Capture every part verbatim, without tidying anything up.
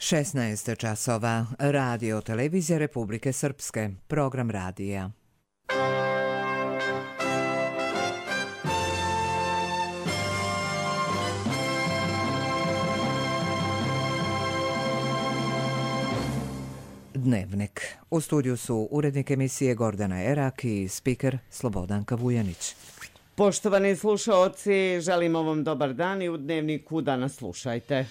šesnaest časova. Radio televizija Republike Srpske. Program radija. Dnevnik. U studiju su urednik emisije Gordana Erak i spiker Slobodanka Vujanić. Poštovani slušaoci, želimo vam dobar dan i u Dnevniku danas slušajte.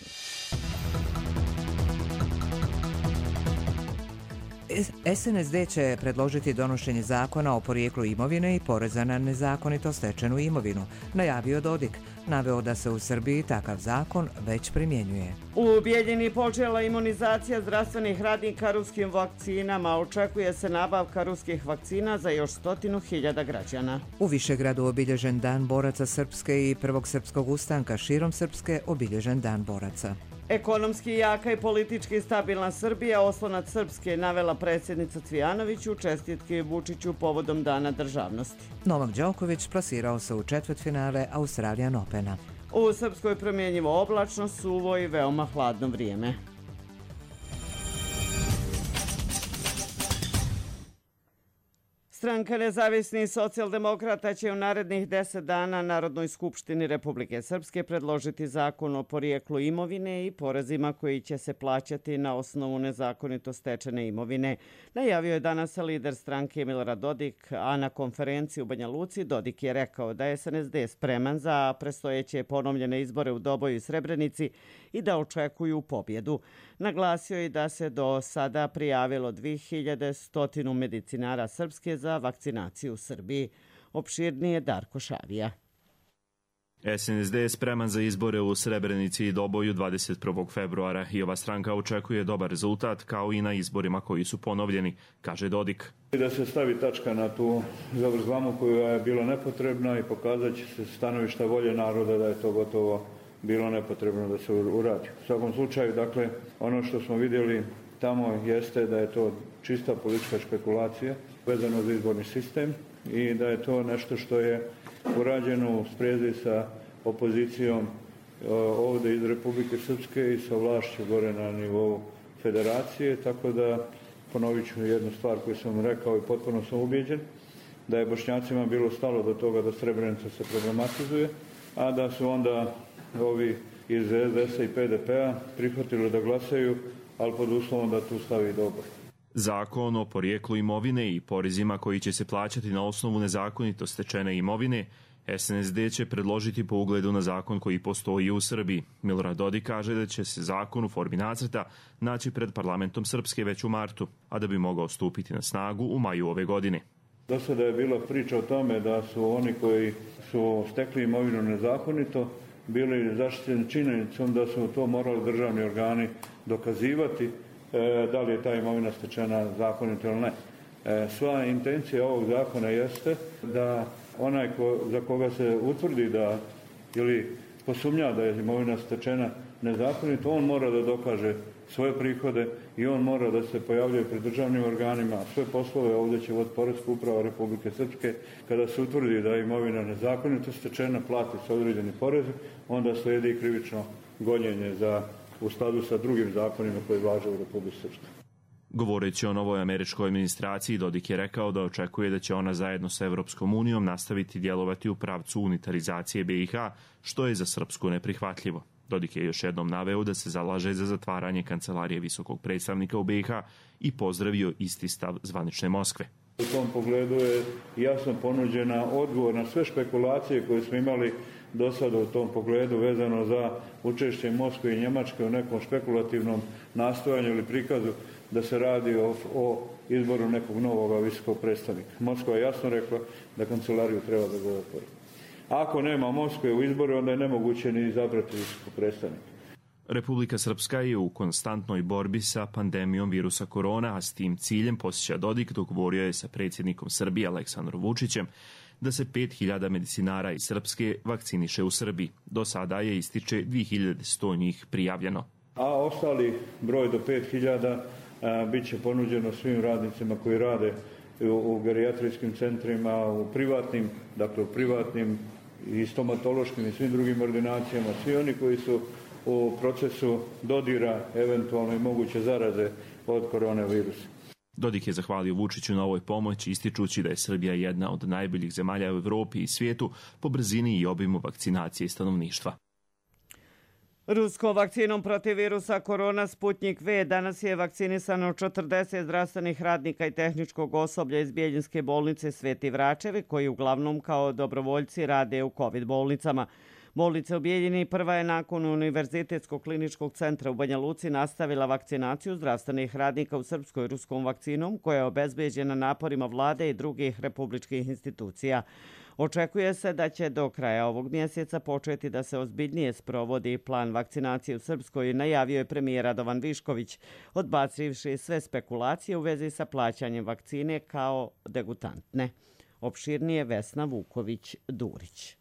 S N S D će predložiti donošenje zakona o porijeklu imovine i poreza na nezakonito stečenu imovinu, najavio Dodik. Naveo da se u Srbiji takav zakon već primjenjuje. U Bijeljini počela imunizacija zdravstvenih radnika ruskim vakcinama. Očekuje se nabavka ruskih vakcina za još stotinu hiljada građana. U Višegradu obilježen Dan boraca Srpske i prvog srpskog ustanka, širom Srpske obilježen Dan boraca. Ekonomski jaka i politički stabilna Srbija, oslonac Srpske, navela predsjednica Cvijanović u čestitke Vučiću povodom Dana državnosti. Novak Đoković plasirao se u četvrtfinale Australian Opena. U Srpskoj promjenjivo oblačno, suvo i veoma hladno vrijeme. Stranka Nezavisnih socijaldemokrata će u narednih deset dana Narodnoj skupštini Republike Srpske predložiti zakon o porijeklu imovine i porezima koji će se plaćati na osnovu nezakonito stečene imovine. Najavio je danas lider stranke Milorad Dodik, a na konferenciji u Banja Luci Dodik je rekao da je S N S D spreman za predstojeće ponovljene izbore u Doboju i Srebrenici i da očekuju pobjedu. Naglasio je da se do sada prijavilo dvije hiljade sto medicinara Srpske za vakcinaciju u Srbiji. Opširnije Darko Šavija. S N S D je spreman za izbore u Srebrenici i Doboju dvadeset prvog februara i ova stranka očekuje dobar rezultat kao i na izborima koji su ponovljeni, kaže Dodik. Da se stavi tačka na tu zavrzlamu koja je bila nepotrebna i pokazat će se stanovišta volje naroda da je to gotovo bilo nepotrebno da se uradi. U svakom slučaju, dakle, ono što smo vidjeli tamo jeste da je to čista politička špekulacija vezano za izborni sistem i da je to nešto što je urađeno u sprezi sa opozicijom ovdje iz Republike Srpske i sa vlašću gore na nivou federacije, tako da ponovit ću jednu stvar koju sam rekao i potpuno sam ubijeđen, da je Bošnjacima bilo stalo do toga da Srebrenica se problematizuje, a da su onda ovi iz S D S-a i P D P-a prihvatili da glasaju, ali pod uslovom da tu stavi Doboj. Zakon o porijeklu imovine i porezima koji će se plaćati na osnovu nezakonito stečene imovine, S N S D će predložiti po ugledu na zakon koji postoji u Srbiji. Milorad Dodik kaže da će se zakon u formi nacrta naći pred parlamentom Srpske već u martu, a da bi mogao stupiti na snagu u maju ove godine. Do sada je bila priča o tome da su oni koji su stekli imovinu nezakonito bili zaštićeni činjenicom da su to morali državni organi dokazivati e, da li je ta imovina stečena zakonito ili ne. E, sva intencija ovog zakona jeste da onaj ko, za koga se utvrdi da ili posumnja da je imovina stečena nezakonito, on mora da dokaže svoje prihode i on mora da se pojavljuje pred državnim organima. Sve poslove ovdje će voditi Poreska uprava Republike Srpske. Kada se utvrdi da je imovina nezakonito stečena, plati se određeni porez, onda slijedi i krivično gonjenje za, u skladu sa drugim zakonima koji važe u Republike Srpske. Govoreći o novoj američkoj administraciji, Dodik je rekao da očekuje da će ona zajedno sa Evropskom unijom nastaviti djelovati u pravcu unitarizacije B i H, što je za Srpsku neprihvatljivo. Dodik je još jednom naveo da se zalaže za zatvaranje kancelarije visokog predstavnika u B i H i pozdravio isti stav zvanične Moskve. U tom pogledu je jasno ponuđena odgovor na sve špekulacije koje smo imali do sada u tom pogledu vezano za učešće Moskve i Njemačke u nekom špekulativnom nastojanju ili prikazu da se radi o, o izboru nekog novog visokog predstavnika. Moskva je jasno rekla da kancelariju treba da ga zatvori. Ako nema Moskve u izboru, onda je nemoguće ni izabrati visokog predstavnika. Republika Srpska je u konstantnoj borbi sa pandemijom virusa korona, a s tim ciljem, posjeća Dodik, dogovorio je sa predsjednikom Srbije Aleksandrom Vučićem da se pet hiljada medicinara iz Srpske vakciniše u Srbiji. Do sada je ističe dvije hiljade sto njih prijavljeno. A ostali broj do pet hiljada bit će ponuđeno svim radnicima koji rade u, u gerijatrijskim centrima, u privatnim, dakle u privatnim i stomatološkim i svim drugim ordinacijama. Svi oni koji su u procesu dodira eventualno i moguće zaraze od koronavirusa. Dodik je zahvalio Vučiću na ovoj pomoći, ističući da je Srbija jedna od najboljih zemalja u Evropi i svijetu po brzini i obimu vakcinacije stanovništva. Ruskom vakcinom protiv virusa korona Sputnjik V danas je vakcinisano četrdeset zdravstvenih radnika i tehničkog osoblja iz Bijeljinske bolnice Sveti Vračevi, koji uglavnom kao dobrovoljci rade u COVID bolnicama. Bolnica u Bijeljini prva je nakon Univerzitetskog kliničkog centra u Banja Luci nastavila vakcinaciju zdravstvenih radnika u srpskoj ruskom vakcinom, koja je obezbeđena naporima vlade i drugih republičkih institucija. Očekuje se da će do kraja ovog mjeseca početi da se ozbiljnije sprovodi plan vakcinacije u Srpskoj, najavio je premijer Radovan Višković, odbacivši sve spekulacije u vezi sa plaćanjem vakcine kao degutantne. Opširnije Vesna Vuković-Durić.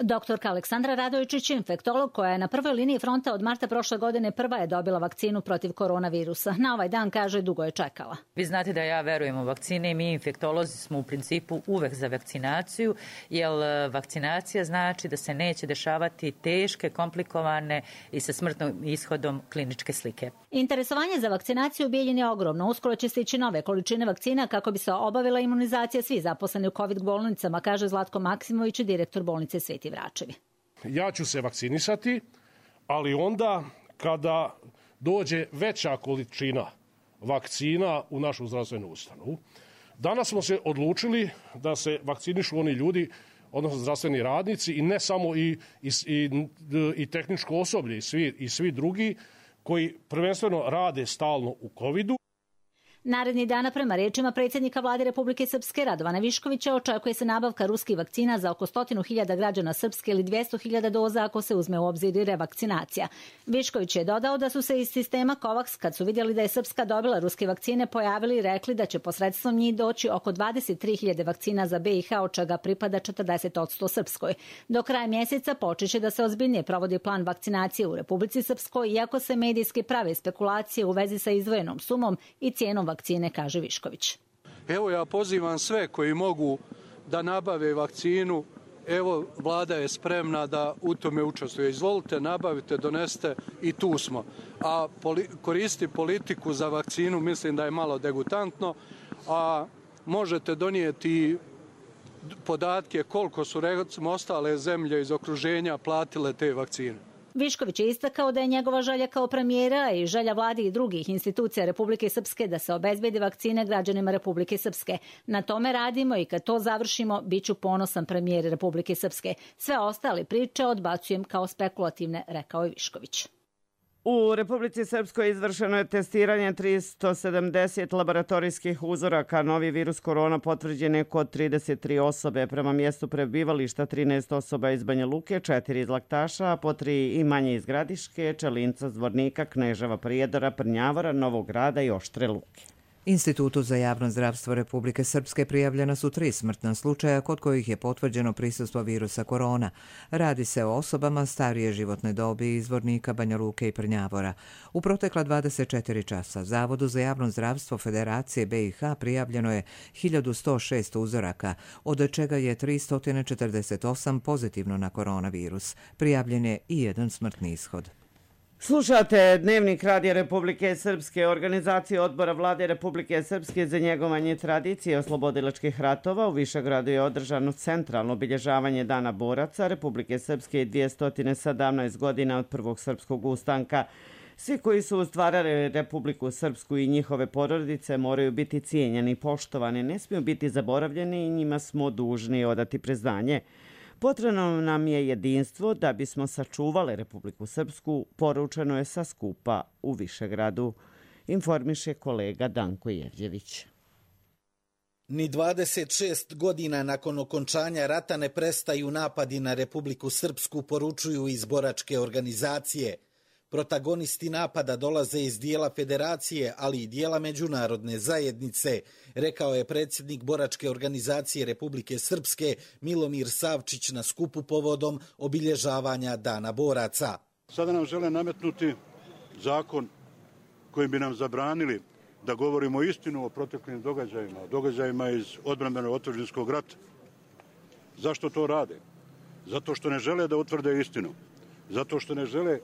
Doktorka Aleksandra Radojičić, infektolog koja je na prvoj liniji fronta od marta prošle godine, prva je dobila vakcinu protiv koronavirusa. Na ovaj dan, kaže, dugo je čekala. Vi znate da ja verujem u vakcine i mi infektolozi smo u principu uvek za vakcinaciju, jer vakcinacija znači da se neće dešavati teške, komplikovane i sa smrtnim ishodom kliničke slike. Interesovanje za vakcinaciju u Bijeljini je ogromno. Uskoro će stići nove količine vakcina kako bi se obavila imunizacija svih zaposleni u COVID bolnicama, kaže Zlatko Maksimović, direktor bolnice Sveti Vračevi. Ja ću se vakcinisati, ali onda kada dođe veća količina vakcina u našu zdravstvenu ustanovu. Danas smo se odlučili da se vakcinišu oni ljudi, odnosno zdravstveni radnici, i ne samo i, i, i, i tehničko osoblje i svi, i svi drugi koji prvenstveno rade stalno u covidu. Naredni dana, prema rečima predsjednika vlade Republike Srpske Radovana Viškovića, očekuje se nabavka ruskih vakcina za oko stotinu hiljada građana Srpske ili dvjesto hiljada doza ako se uzme u obzir i revakcinacija. Višković je dodao da su se iz sistema COVAX, kad su vidjeli da je Srpska dobila ruske vakcine, pojavili i rekli da će posredstvom njih doći oko dvadeset tri hiljade vakcina za B i H, od čega pripada četrdeset posto Srpskoj. Do kraja mjeseca počeće da se ozbiljnije provodi plan vakcinacije u Republici Srpskoj, iako se medijski prave spekulacije u vezi sa izdvojenom sumom i cijenom vakcine, kaže Višković. Evo, ja pozivam sve koji mogu da nabave vakcinu. Evo, vlada je spremna da u tome učestvuje. Izvolite, nabavite, doneste i tu smo. A poli- koristi politiku za vakcinu mislim da je malo degutantno, a možete donijeti podatke koliko su recimo ostale zemlje iz okruženja platile te vakcine. Višković je istakao da je njegova želja kao premijera i želja vlade i drugih institucija Republike Srpske da se obezbedi vakcine građanima Republike Srpske. Na tome radimo i kad to završimo, bit ću ponosan premijer Republike Srpske. Sve ostale priče odbacujem kao spekulativne, rekao je Višković. U Republici Srpskoj izvršeno je testiranje tristo sedamdeset laboratorijskih uzoraka. Novi virus korona potvrđen je kod trideset tri osobe. Prema mjestu prebivališta trinaest osoba iz Banja Luke, četiri iz Laktaša, a po tri i manje iz Gradiške, Čelinca, Zvornika, Kneževa, Prijedora, Prnjavora, Novog Grada i Oštre Luke. Institutu za javno zdravstvo Republike Srpske prijavljena su tri smrtna slučaja kod kojih je potvrđeno prisustvo virusa korona. Radi se o osobama starije životne dobi iz Zvornika, Banja Luke i Prnjavora. U protekla dvadeset četiri časa Zavodu za javno zdravstvo Federacije B i H prijavljeno je hiljadu sto šest uzoraka, od čega je tristo četrdeset osam pozitivno na koronavirus. Prijavljen je i jedan smrtni ishod. Slušate Dnevnik Radija Republike Srpske. Organizacija Odbora vlade Republike Srpske za njegovanje tradicije oslobodilačkih ratova u Višegradu je održano centralno obilježavanje Dana boraca Republike Srpske i dvjesto sedamnaest godina od prvog srpskog ustanka. Svi koji su stvarali Republiku Srpsku i njihove porodice moraju biti cijenjeni i poštovani, ne smiju biti zaboravljeni i njima smo dužni odati priznanje. Potrebno nam je jedinstvo da bismo sačuvali Republiku Srpsku, poručeno je sa skupa u Višegradu, informiše kolega Danko Jevđević. Ni dvadeset šest godina nakon okončanja rata ne prestaju napadi na Republiku Srpsku, poručuju iz boračke organizacije. Protagonisti napada dolaze iz dijela federacije, ali i dijela međunarodne zajednice, rekao je predsjednik boračke organizacije Republike Srpske Milomir Savčić na skupu povodom obilježavanja Dana boraca. Sada nam žele nametnuti zakon kojim bi nam zabranili da govorimo istinu o proteklim događajima, o događajima iz odbrambenog otadžbinskog rata. Zašto to rade? Zato što ne žele da utvrde istinu. zato što ne žele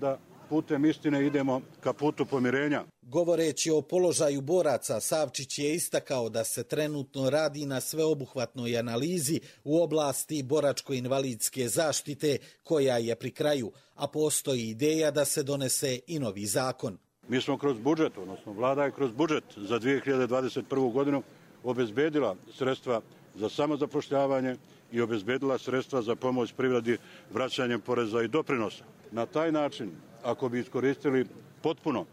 da putem istine idemo ka putu pomirenja. Govoreći o položaju boraca, Savčić je istakao da se trenutno radi na sveobuhvatnoj analizi u oblasti boračko-invalidske zaštite koja je pri kraju, a postoji ideja da se donese i novi zakon. Mi smo kroz budžet, odnosno vlada je kroz budžet za dvije hiljade dvadeset prvu. godinu obezbedila sredstva za samozapošljavanje i obezbedila sredstva za pomoć privredi vraćanjem poreza i doprinosa. Na taj način, ako bi iskoristili potpuno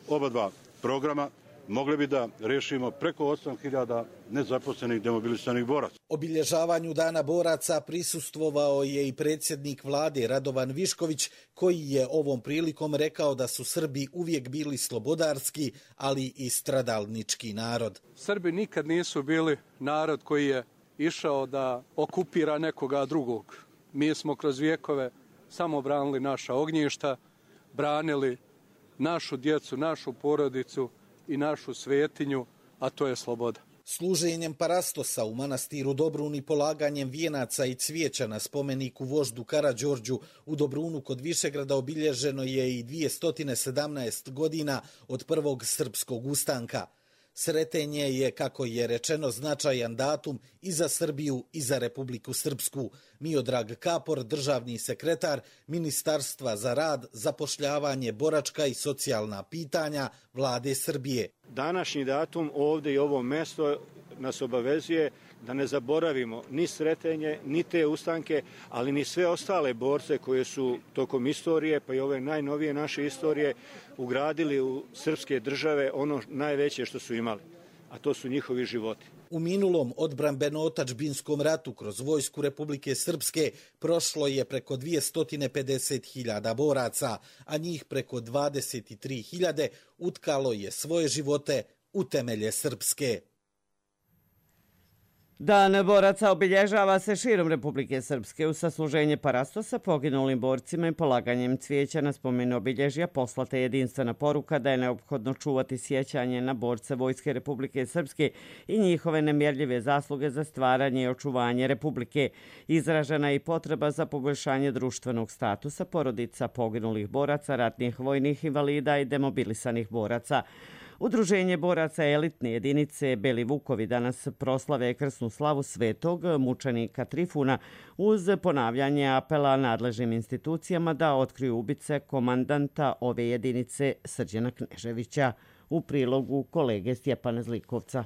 oba dva programa, mogli bi da rešimo preko osam hiljada nezaposlenih demobilisanih boraca. Obilježavanju Dana boraca prisustvovao je i predsjednik vlade Radovan Višković, koji je ovom prilikom rekao da su Srbi uvijek bili slobodarski, ali i stradalnički narod. Srbi nikad nisu bili narod koji je išao da okupira nekoga drugog. Mi smo kroz vijekove samo branili naša ognjišta, branili našu djecu, našu porodicu i našu svetinju, a to je sloboda. Služenjem parastosa u manastiru Dobrun i polaganjem vijenaca i cvijeća na spomeniku voždu Karađorđu u Dobrunu kod Višegrada obilježeno je i dvjesto sedamnaest godina od prvog srpskog ustanka. Sretenje je, kako je rečeno, značajan datum i za Srbiju i za Republiku Srpsku. Miodrag Kapor, državni sekretar Ministarstva za rad, zapošljavanje, boračka i socijalna pitanja Vlade Srbije. Današnji datum ovdje i ovo mesto nas obavezuje da ne zaboravimo ni Sretenje, ni te ustanke, ali ni sve ostale borce koje su tokom istorije, pa i ove najnovije naše istorije, ugradili u srpske države ono najveće što su imali, a to su njihovi životi. U minulom odbrambeno-otadžbinskom ratu kroz vojsku Republike Srpske prošlo je preko dvjesto pedeset hiljada boraca, a njih preko dvadeset tri hiljade utkalo je svoje živote u temelje Srpske. Dan boraca obilježava se širom Republike Srpske. U sasluženje parastosa poginulim borcima i polaganjem cvijeća na spomenu obilježja poslata jedinstvena poruka da je neophodno čuvati sjećanje na borce Vojske Republike Srpske i njihove nemjerljive zasluge za stvaranje i očuvanje Republike. Izražena je i potreba za poboljšanje društvenog statusa porodica poginulih boraca, ratnih vojnih invalida i demobilisanih boraca. Udruženje boraca elitne jedinice Beli Vukovi danas proslave krsnu slavu svetog mučenika Trifuna uz ponavljanje apela nadležnim institucijama da otkriju ubice komandanta ove jedinice Srđana Kneževića. U prilogu kolege Stjepana Zlikovca.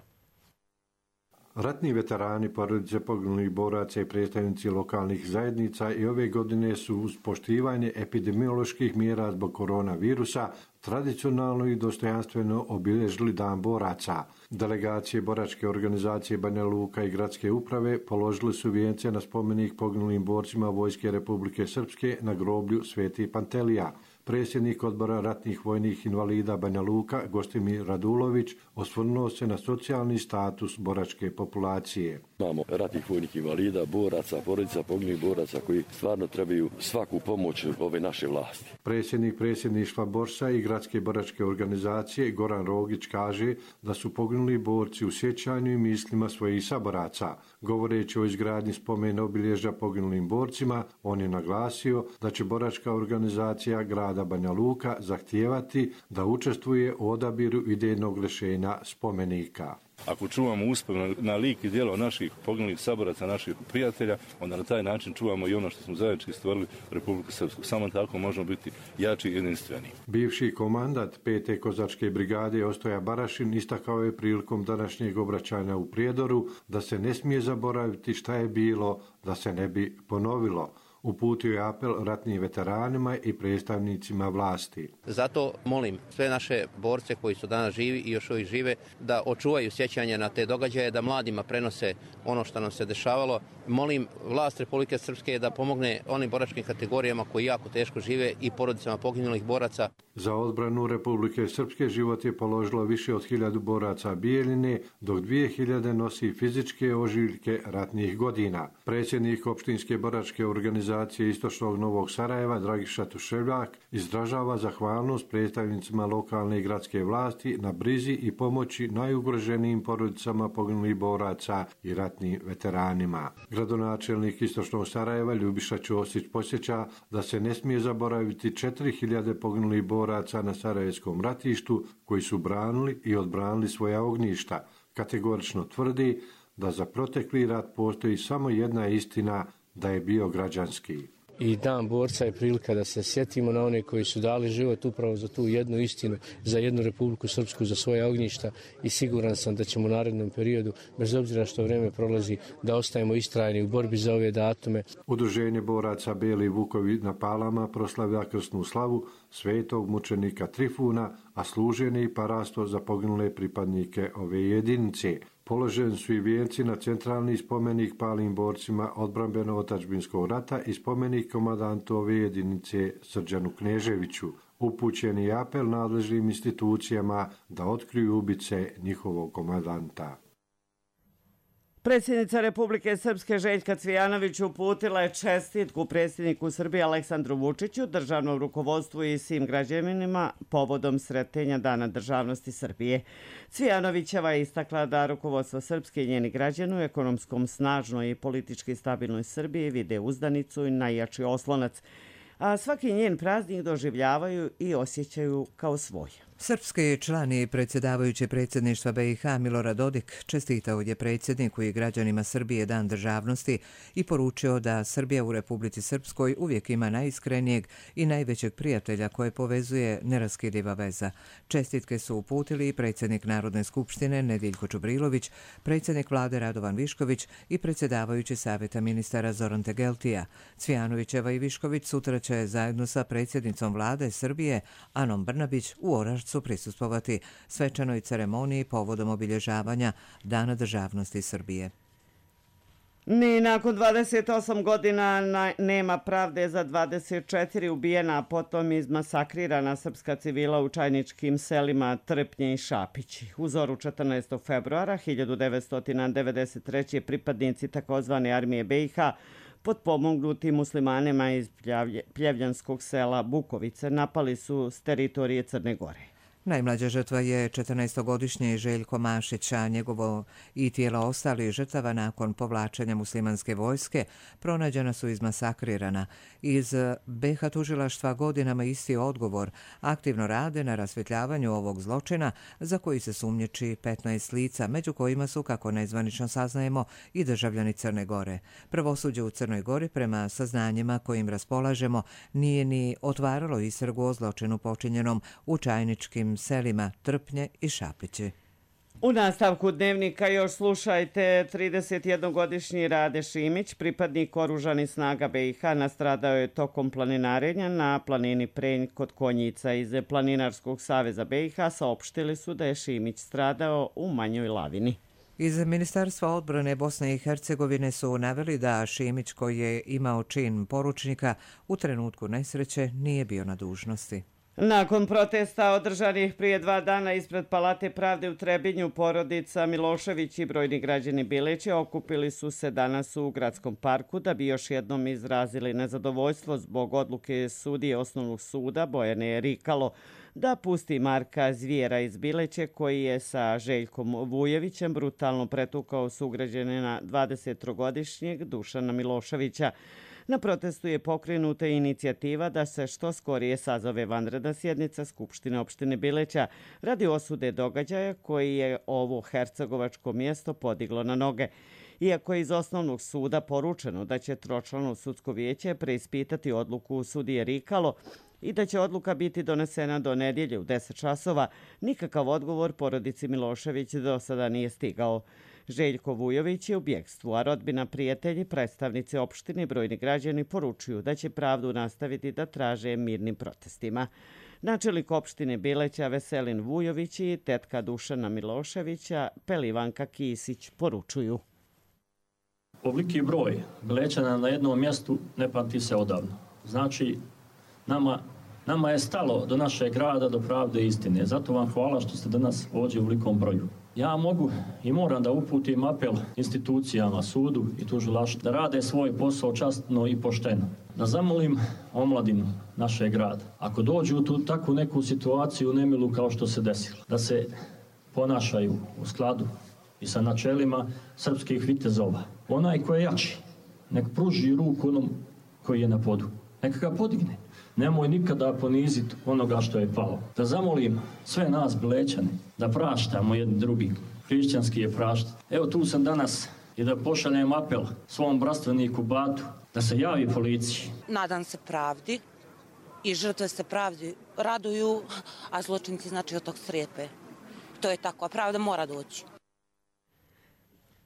Ratni veterani, porodice poginulih boraca i predstavnici lokalnih zajednica i ove godine su uz poštivanje epidemioloških mjera zbog koronavirusa tradicionalno i dostojanstveno obilježili Dan boraca. Delegacije boračke organizacije Banja Luka i gradske uprave položili su vijence na spomenik poginulim borcima Vojske Republike Srpske na groblju Sveti Pantelija. Predsjednik odbora ratnih vojnih invalida Banja Luka, Gostimir Radulović, osvrnuo se na socijalni status boračke populacije. Imamo ratnih vojnih invalida, boraca, porodica poginulih boraca koji stvarno trebaju svaku pomoć ove naše vlasti. Predsjednik predsjedništva Borsa i gradske boračke organizacije Goran Rogić kaže da su poginuli borci u sjećanju i mislima svojih saboraca. Govoreći o izgradnji spomena obilježja poginulim borcima, on je naglasio da će boračka organizacija grada Banja Luka zahtijevati da učestvuje u odabiru idejnog rješenja spomenika. Ako čuvamo uspomenu na lik i djelo naših poginulih saboraca, naših prijatelja, onda na taj način čuvamo i ono što smo zajednički stvorili Republiku Srpsku. Samo tako možemo biti jači i jedinstveni. Bivši komandant pete kozačke brigade Ostoja Barašin istakao je prilikom današnjeg obraćanja u Prijedoru da se ne smije zaboraviti šta je bilo, da se ne bi ponovilo. Uputio je apel ratnim veteranima i predstavnicima vlasti. Zato molim sve naše borce koji su danas živi i još uvijek žive da očuvaju sjećanje na te događaje, da mladima prenose ono što nam se dešavalo. Molim vlast Republike Srpske da pomogne onim boračkim kategorijama koji jako teško žive i porodicama poginulih boraca. Za odbranu Republike Srpske život je položilo više od hiljadu boraca Bijeljine, dok dvije hiljade nosi fizičke ožiljke ratnih godina. Predsjednik opštinske boračke organizacije Istočnog Novog Sarajeva, Dragiša Tuševljak, izražava zahvalnost predstavnicima lokalne i gradske vlasti na brizi i pomoći najugroženijim porodicama poginulih boraca i ratnim veteranima. Gradonačelnik Istočnog Sarajeva Ljubiša Ćosić posjeća da se ne smije zaboraviti četiri hiljade poginulih boraca na Sarajevskom ratištu koji su branili i odbranili svoja ognjišta. Kategorično tvrdi da za protekli rat postoji samo jedna istina, da je bio građanski. I dan borca je prilika da se sjetimo na one koji su dali život upravo za tu jednu istinu, za jednu Republiku Srpsku, za svoje ognjišta i siguran sam da ćemo u narednom periodu, bez obzira što vrijeme prolazi, da ostajemo istrajni u borbi za ove datume. Udruženje boraca Beli Vukovi na Palama proslavlja krsnu slavu svetog mučenika Trifuna, a služenje i parasto za poginule pripadnike ove jedinice. Položeni su i vijenci na centralni spomenik palim borcima odbrambeno-otadžbinskog rata i spomenik komandantu ove jedinice Srđanu Kneževiću. Upućen je apel nadležnim institucijama da otkriju ubice njihovog komandanta. Predsjednica Republike Srpske Željka Cvijanović uputila je čestitku predsjedniku Srbije Aleksandru Vučiću, državnom rukovodstvu i svim građanima povodom sretenja Dana državnosti Srbije. Cvijanovićeva je istakla da rukovodstvo Srpske i njeni građani u ekonomskom snažnoj i politički stabilnoj Srbiji vide uzdanicu i najjači oslonac, a svaki njen praznik doživljavaju i osjećaju kao svoj. Srpski član i predsjedavajući predsjedništva B i H Milorad Dodik čestitao je predsjedniku i građanima Srbije Dan državnosti i poručio da Srbija u Republici Srpskoj uvijek ima najiskrenijeg i najvećeg prijatelja koje povezuje neraskidiva veza. Čestitke su uputili i predsjednik Narodne skupštine Nediljko Čubrilović, predsjednik vlade Radovan Višković i predsjedavajući savjeta ministara Zoran Tegeltija. Cvijanovićeva i Višković sutra će zajedno sa predsjednicom vlade Srbije Anom Brnabić u Orašcu su prisustvovati svečanoj ceremoniji povodom obilježavanja Dana državnosti Srbije. Ni nakon dvadeset osam godina nema pravde za dvadeset četiri ubijena, a potom izmasakrirana srpska civila u čajničkim selima Trpnje i Šapići. U zoru četrnaestog februara hiljadu devetsto devedeset treće. pripadnici takozvane armije B i H potpomognuti muslimanima iz pljevljanskog sela Bukovice napali su s teritorije Crne Gore. Najmlađa žrtva je četrnaestogodišnji Željko Mašić, a njegovo i tijela ostalih žrtava nakon povlačenja muslimanske vojske pronađena su izmasakrirana. Iz B i H tužilaštva godinama isti odgovor aktivno rade na rasvjetljavanju ovog zločina za koji se sumnjiči petnaest lica, među kojima su, kako nezvanično saznajemo, i državljani Crne Gore. Pravosuđe u Crnoj Gori, prema saznanjima kojim raspolažemo, nije ni otvaralo istragu o zločinu počinjenom u čajničkim selima Trpnje i Šapići. U nastavku dnevnika još slušajte, tridesetjednogodišnji Rade Šimić, pripadnik oružanih snaga B i H, nastradao je tokom planinarenja na planini Prenj kod Konjica. Iz Planinarskog saveza B i H saopštili su da je Šimić stradao u manjoj lavini. Iz Ministarstva odbrane Bosne i Hercegovine su naveli da Šimić, koji je imao čin poručnika, u trenutku nesreće nije bio na dužnosti. Nakon protesta održanih prije dva dana ispred Palate pravde u Trebinju, porodica Milošević i brojni građani Bileća okupili su se danas u gradskom parku da bi još jednom izrazili nezadovoljstvo zbog odluke sudije osnovnog suda Bojane Rikalo da pusti Marka Zvijera iz Bileće, koji je sa Željkom Vujevićem brutalno pretukao sugrađanina dvadesettrogodišnjeg Dušana Miloševića. Na protestu je pokrenuta inicijativa da se što skorije sazove vanredna sjednica Skupštine opštine Bileća radi osude događaja koji je ovo hercegovačko mjesto podiglo na noge. Iako je iz osnovnog suda poručeno da će tročlano sudsko vijeće preispitati odluku sudije Rikalo i da će odluka biti donesena do nedjelje u deset časova, nikakav odgovor porodici Milošević do sada nije stigao. Željko Vujović je u bjegstvu, a rodbina, prijatelji, predstavnici opštine i brojni građani poručuju da će pravdu nastaviti da traže mirnim protestima. Načelnik opštine Bileća Veselin Vujović i tetka Dušana Miloševića Pelivanka Kisić poručuju. Ovoliki broj Bilećana na jednom mjestu ne pamti se odavno. Znači, nama, nama je stalo do našeg grada, do pravde i istine. Zato vam hvala što ste danas ovdje u velikom broju. Ja mogu i moram da uputim apel institucijama, sudu i tužilaštvu da rade svoj posao časno i pošteno. Da zamolim omladinu našeg grada, ako dođu u tu takvu neku situaciju nemilu kao što se desilo, da se ponašaju u skladu i sa načelima srpskih vitezova. Onaj ko je jači, nek pruži ruku onom koji je na podu. Neka ga podigne. Nemoj nikada poniziti onoga što je palo. Da zamolim sve nas Blečane da praštamo jedni drugi. Hrišćanski je prašta. Evo tu sam danas i da pošaljem apel svom brastveniku Batu da se javi policiji. Nadam se pravdi i žrtve se pravdi raduju, a zločinci znači od tog strepe. To je tako, a pravda mora doći.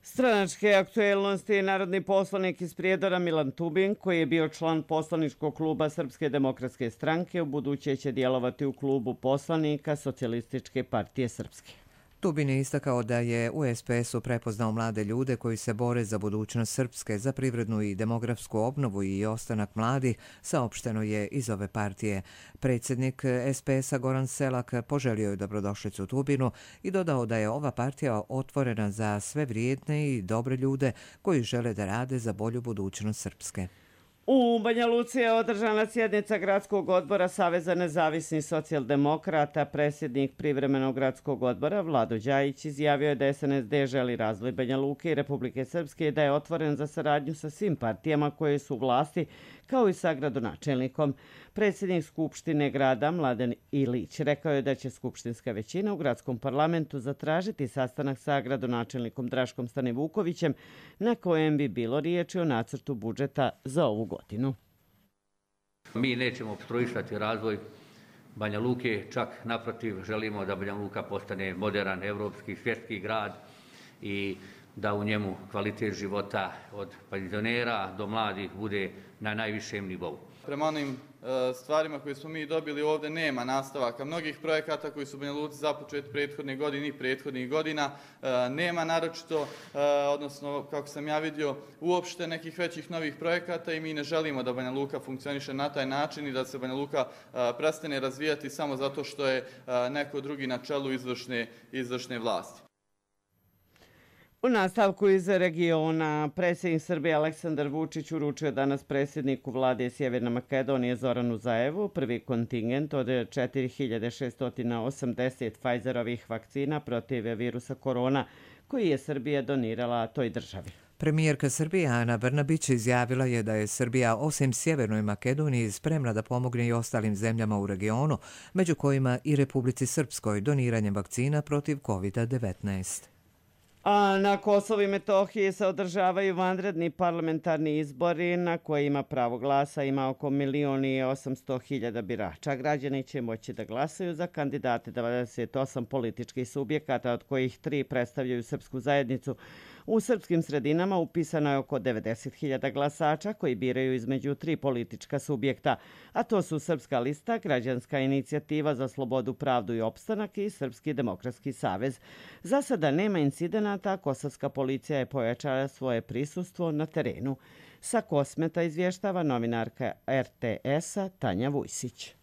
Stranačke aktuelnosti, narodni poslanik iz Prijedora Milan Tubin, koji je bio član poslaničkog kluba Srpske demokratske stranke, u buduće će djelovati u klubu poslanika Socijalističke partije Srpske. Tubin je istakao da je u es pe esu prepoznao mlade ljude koji se bore za budućnost Srpske, za privrednu i demografsku obnovu i ostanak mladih, saopšteno je iz ove partije. Predsjednik es pe esa Goran Selak poželio je dobrodošlicu Tubinu i dodao da je ova partija otvorena za sve vrijedne i dobre ljude koji žele da rade za bolju budućnost Srpske. U Banja Luci je održana sjednica Gradskog odbora Saveza nezavisnih socijaldemokrata. Predsjednik privremenog gradskog odbora Vlado Đajić izjavio je da es en es de želi razvoj Banja Luke i Republike Srpske i da je otvoren za saradnju sa svim partijama koje su u vlasti, kao i sa gradonačelnikom. Predsjednik Skupštine grada Mladen Ilić rekao je da će skupštinska većina u gradskom parlamentu zatražiti sastanak sa gradonačelnikom Draškom Stanivukovićem, na kojem bi bilo riječi o nacrtu budžeta za ovu godinu. Mi nećemo opstruisati razvoj Banja Luke, čak naprotiv želimo da Banja Luka postane moderan, evropski, svjetski grad i da u njemu kvalitet života od penzionera do mladih bude na najvišem nivou. Prema onim stvarima koje smo mi dobili ovdje nema nastavaka mnogih projekata koji su u Banja Luci započeti prethodne godine i prethodnih godina. Nema naročito, odnosno kako sam ja vidio, uopšte nekih većih novih projekata i mi ne želimo da Banja Luka funkcioniše na taj način i da se Banja Luka prestane razvijati samo zato što je neko drugi na čelu izvršne, izvršne vlasti. U nastavku iz regiona, predsjednik Srbije Aleksandar Vučić uručio danas predsjedniku vlade Sjeverne Makedonije Zoranu Zaevu prvi kontingent od četiri hiljade šesto osamdeset Pfizerovih vakcina protiv virusa korona koji je Srbija donirala toj državi. Premijerka Srbije Ana Brnabić izjavila je da je Srbija osim Sjevernoj Makedoniji spremna da pomogne i ostalim zemljama u regionu, među kojima i Republici Srpskoj doniranjem vakcina protiv kovid devetnaest. A na Kosovu i Metohiji se održavaju vanredni parlamentarni izbori na kojima pravo glasa ima oko milion i osamsto hiljada birača. Građani će moći da glasaju za kandidate dvadeset osam političkih subjekata, od kojih tri predstavljaju srpsku zajednicu. U srpskim sredinama upisano je oko devedeset hiljada glasača koji biraju između tri politička subjekta, a to su Srpska lista, Građanska inicijativa za slobodu, pravdu i opstanak i Srpski demokratski savez. Za sada nema incidenata, kosovska policija je pojačala svoje prisustvo na terenu. Sa Kosmeta izvještava novinarka er te esa Tanja Vujsić.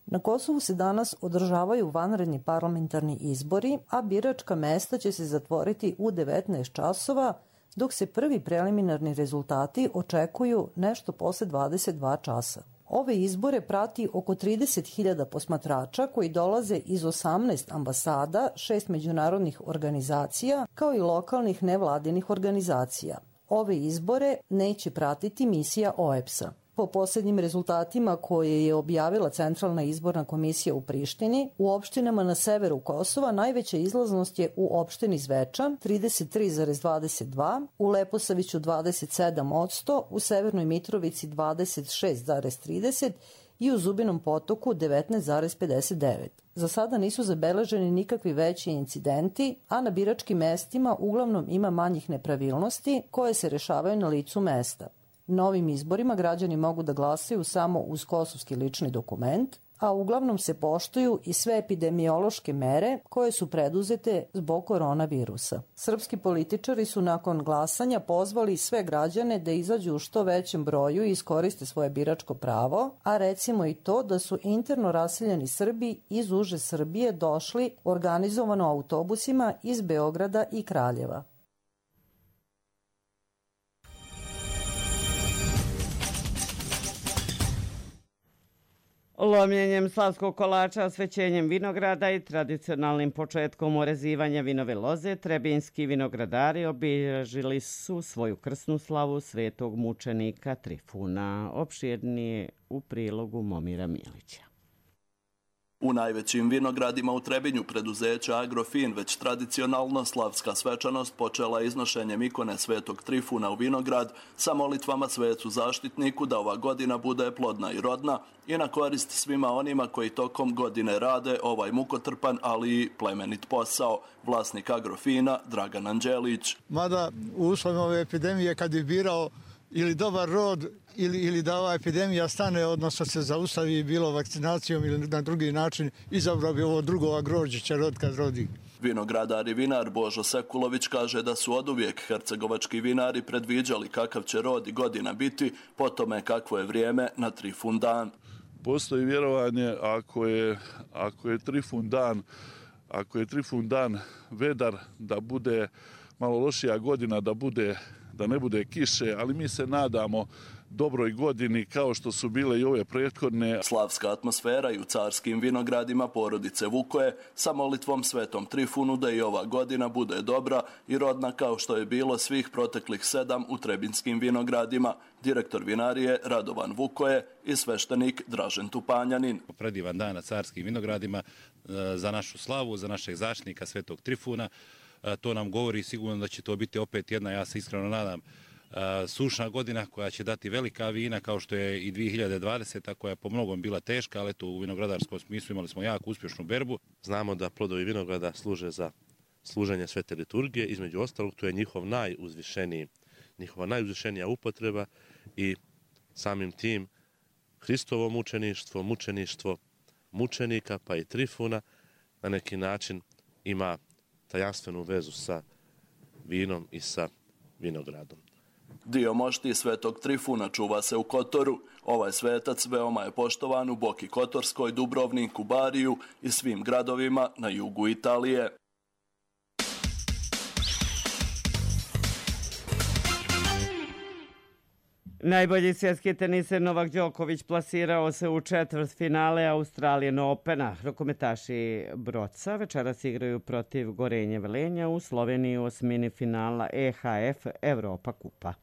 Na Kosovu se danas održavaju vanredni parlamentarni izbori, a biračka mesta će se zatvoriti u devetnaest časova, dok se prvi preliminarni rezultati očekuju nešto posle dvadeset dva časa. Ove izbore prati oko trideset hiljada posmatrača koji dolaze iz osamnaest ambasada, šest međunarodnih organizacija, kao i lokalnih nevladinih organizacija. Ove izbore neće pratiti misija o e pe es a. Po posljednjim rezultatima koje je objavila Centralna izborna komisija u Prištini, u opštinama na severu Kosova najveća izlaznost je u opštini Zvečan trideset tri zarez dvadeset dva, u Leposaviću dvadeset sedam posto, u Severnoj Mitrovici dvadeset šest zarez trideset i u Zubinom Potoku devetnaest zarez pedeset devet. Za sada nisu zabeleženi nikakvi veći incidenti, a na biračkim mestima uglavnom ima manjih nepravilnosti koje se rešavaju na licu mesta. Novim izborima građani mogu da glasaju samo uz kosovski lični dokument, a uglavnom se poštuju i sve epidemiološke mere koje su preduzete zbog koronavirusa. Srpski političari su nakon glasanja pozvali sve građane da izađu u što većem broju i iskoriste svoje biračko pravo, a recimo i to da su interno raseljeni Srbi iz uže Srbije došli organizovano autobusima iz Beograda i Kraljeva. Lomljenjem slavskog kolača, osvećenjem vinograda i tradicionalnim početkom orezivanja vinove loze, trebinski vinogradari obilježili su svoju krsnu slavu svetog mučenika Trifuna. Opširnije u prilogu Momira Milića. U najvećim vinogradima u Trebinju preduzeća Agrofin već tradicionalno slavska svečanost počela iznošenjem ikone Svetog Trifuna u vinograd sa molitvama svecu zaštitniku da ova godina bude plodna i rodna i na korist svima onima koji tokom godine rade ovaj mukotrpan, ali i plemenit posao. Vlasnik Agrofina Dragan Anđelić. Mada u uslovima ove epidemije kad bi birao ili dobar rod ili, ili da ova epidemija stane, odnosno se zaustavi bilo vakcinacijom ili na drugi način, izabrao bi ovo drugo grožđiće rod kad rodi. Vinogradar i vinar Božo Sekulović kaže da su oduvijek hercegovački vinari predviđali kakav će rod i godina biti, po tome kakvo je vrijeme na Trifun dan. Postoji vjerovanje ako je, ako je Trifun dan, ako je Trifun dan vedar, da bude malo lošija godina, da bude da ne bude kiše, ali mi se nadamo dobroj godini kao što su bile i ove prethodne. Slavska atmosfera i u carskim vinogradima porodice Vukoje sa molitvom Svetom Trifunu da i ova godina bude dobra i rodna kao što je bilo svih proteklih sedam u trebinskim vinogradima. Direktor vinarije Radovan Vukoje i sveštenik Dražen Tupanjanin. Predivan dan na carskim vinogradima za našu slavu, za našeg zaštitnika Svetog Trifuna. To nam govori sigurno da će to biti opet jedna, ja se iskreno nadam, sušna godina koja će dati velika vina kao što je i dvije hiljade dvadeseta koja je po mnogom bila teška, ali eto u vinogradarskom smislu imali smo jako uspješnu berbu. Znamo da plodovi vinograda služe za služenje svete liturgije, između ostalog to je njihov najuzvišeniji, njihova najuzvišenija upotreba i samim tim Hristovo mučeništvo, mučeništvo mučenika pa i Trifuna na neki način ima tajanstvenu vezu sa vinom i sa vinogradom. Dio mošti Svetog Trifuna čuva se u Kotoru. Ovaj svetac veoma je poštovan u Boki Kotorskoj, Dubrovniku, Bariju i svim gradovima na jugu Italije. Najbolji svjetski teniser Novak Đoković plasirao se u četvrtfinale Australian Opena. Rukometaši Broca večeras igraju protiv Gorenje Velenja u Sloveniji u osmini finala E H F Evropa kupa.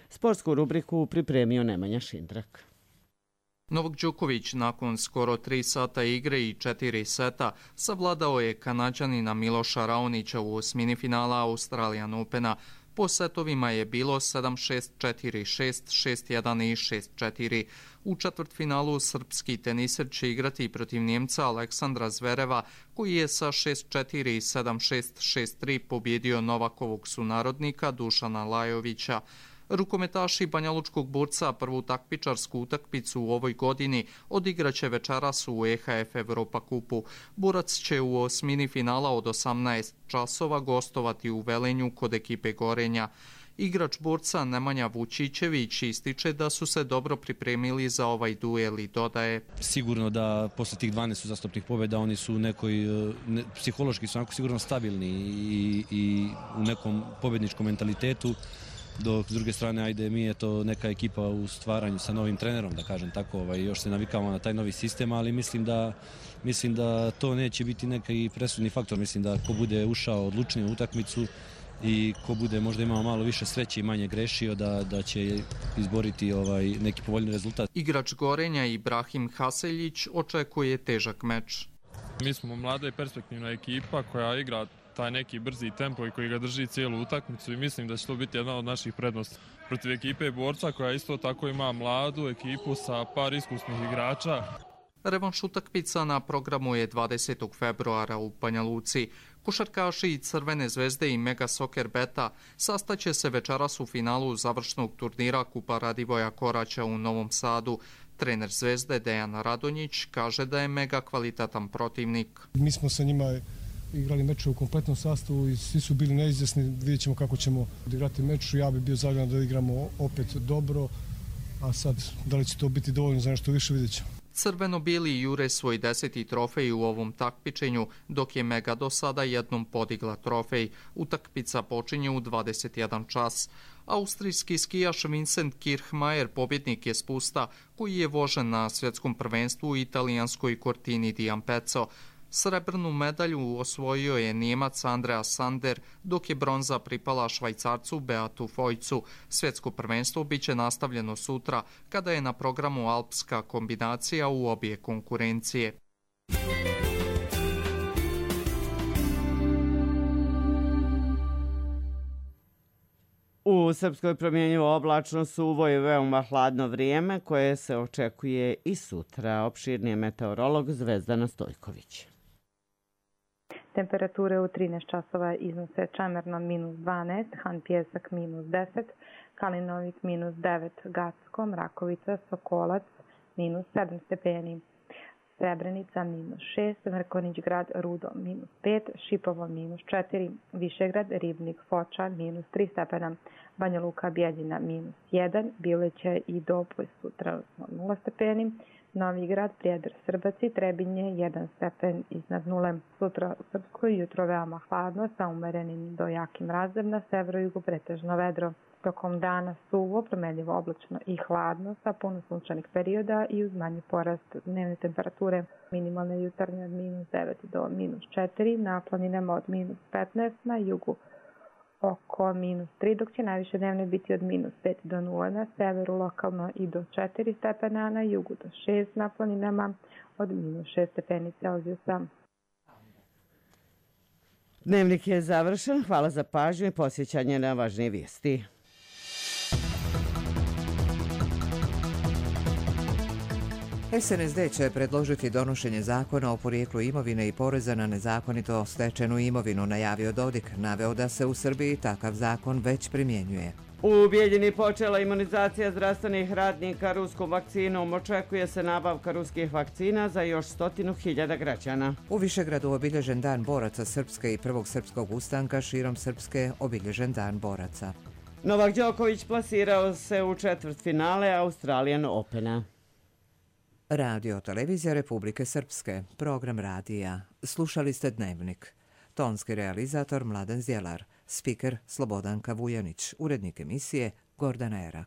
Sportsku rubriku pripremio Nemanja Šindrak. Novak Đoković nakon skoro tri sata igre i četiri seta savladao je Kanađanina Miloša Raonića u osmini finala Australian Opena. Po setovima je bilo sedam šest, četiri šest, šest jedan i šest četiri. U četvrtfinalu srpski teniser će igrati protiv Njemca Aleksandra Zvereva, koji je sa šest četiri i sedam šest, šest tri pobjedio Novakovog sunarodnika Dušana Lajovića. Rukometaši Banjalučkog Burca prvu takmičarsku utakmicu u ovoj godini odigraće večeras u E H F Evropa kupu. Burac će u osmini finala od osamnaest časova gostovati u Velenju kod ekipe Gorenja. Igrač Burca Nemanja Vučićević ističe da su se dobro pripremili za ovaj duel i dodaje. Sigurno da posle tih dvanaest uzastopnih pobjeda oni su nekoj, ne, psihološki su onako sigurno stabilni i, i u nekom pobjedničkom mentalitetu. Dok s druge strane, ajde, mi je to neka ekipa u stvaranju sa novim trenerom, da kažem tako, ovaj, još se navikamo na taj novi sistem, ali mislim da, mislim da to neće biti neki presudni faktor. Mislim da ko bude ušao odlučnije u utakmicu i ko bude možda imao malo više sreće i manje grešio, da, da će izboriti ovaj, neki povoljni rezultat. Igrač Gorenja Ibrahim Haseljić očekuje težak meč. Mi smo mlada i perspektivna ekipa koja igra taj neki brzi tempo i koji ga drži cijelu utakmicu i mislim da će to biti jedna od naših prednosti. Protiv ekipe Borca koja isto tako ima mladu ekipu sa par iskusnih igrača. Revanš utakmica na programu je dvadesetog februara u Banja Luci. Košarkaši Crvene zvezde i Mega Soccer Beta sastaće se večeras u finalu završnog turnira Kupa Radivoja Koraća u Novom Sadu. Trener Zvezde Dejan Radonjić kaže da je Mega kvalitetan protivnik. Mi smo sa njima igrali meče u kompletnom sastavu i svi su bili neizvjesni. Vidjet ćemo kako ćemo odigrati meč. Ja bih bio zadovoljan da igramo opet dobro, a sad da li će to biti dovoljno za nešto više, vidjet ćemo. Crveno-bijeli jure svoj deseti trofej u ovom takmičenju, dok je Mega do sada jednom podigla trofej. Utakmica počinje u dvadeset jedan čas. Austrijski skijaš Vincent Kirchmeier pobjednik je spusta koji je vožen na svjetskom prvenstvu u italijanskoj Cortini di Ampezzo. Srebrnu medalju osvojio je Nijemac Andreas Sander, dok je bronza pripala Švajcarcu Beatu Fojcu. Svjetsko prvenstvo biće nastavljeno sutra, kada je na programu alpska kombinacija u obje konkurencije. U Srpskoj promjenjivo oblačno, suvo i veoma hladno vrijeme koje se očekuje i sutra. Opširnije meteorolog Zvezdana Stojković. Temperature u trinaest časova iznose Čemerno minus dvanaest, Han Pjesak minus deset, Kalinovik minus devet, Gacko, Mrakovica, Sokolac minus sedam stepeni, Srebrenica minus šest, Mrkonjić grad, Rudo minus pet, Šipovo minus četiri, Višegrad, Ribnik, Foča minus tri stepena, Banja Luka, Bjeljina minus jedan, Bileće i Doboj sutra nula stepeni, Novi grad, Prijedor, Srbaci, Trebinje, jedan stepen iznad nule. Sutra u Srpskoj jutro veoma hladno sa umerenim do jakim mrazem, na severu-jugu pretežno vedro. Tokom dana suvo, promenljivo oblačno i hladno sa puno sunčanih perioda i uz manji porast dnevne temperature. Minimalne jutarnje od minus devet do minus četiri, na planinama od minus petnaest, na jugu oko minus tri, dok će najviše dnevne biti od minus pet do nula, na severu lokalno i do četiri stepena, na jugu do šest, na planinama od minus šest stepeni Celzijusa. Dnevnik je završen. Hvala za pažnju i posjećanje na važnije vijesti. S N S D će predložiti donošenje zakona o porijeklu imovine i poreza na nezakonito stečenu imovinu, najavio Dodik, naveo da se u Srbiji takav zakon već primjenjuje. U Bijeljini počela imunizacija zdravstvenih radnika ruskom vakcinom. Očekuje se nabavka ruskih vakcina za još stotinu hiljada građana. U Višegradu obilježen dan boraca Srpske i prvog srpskog ustanka, širom Srpske obilježen dan boraca. Novak Đoković plasirao se u četvrtfinale Australian Opena. Radio Televizija Republike Srpske, program radija. Slušali ste Dnevnik. Tonski realizator Mladen Zjelar, spiker Slobodanka Vujanić, urednik emisije Gordana Erak.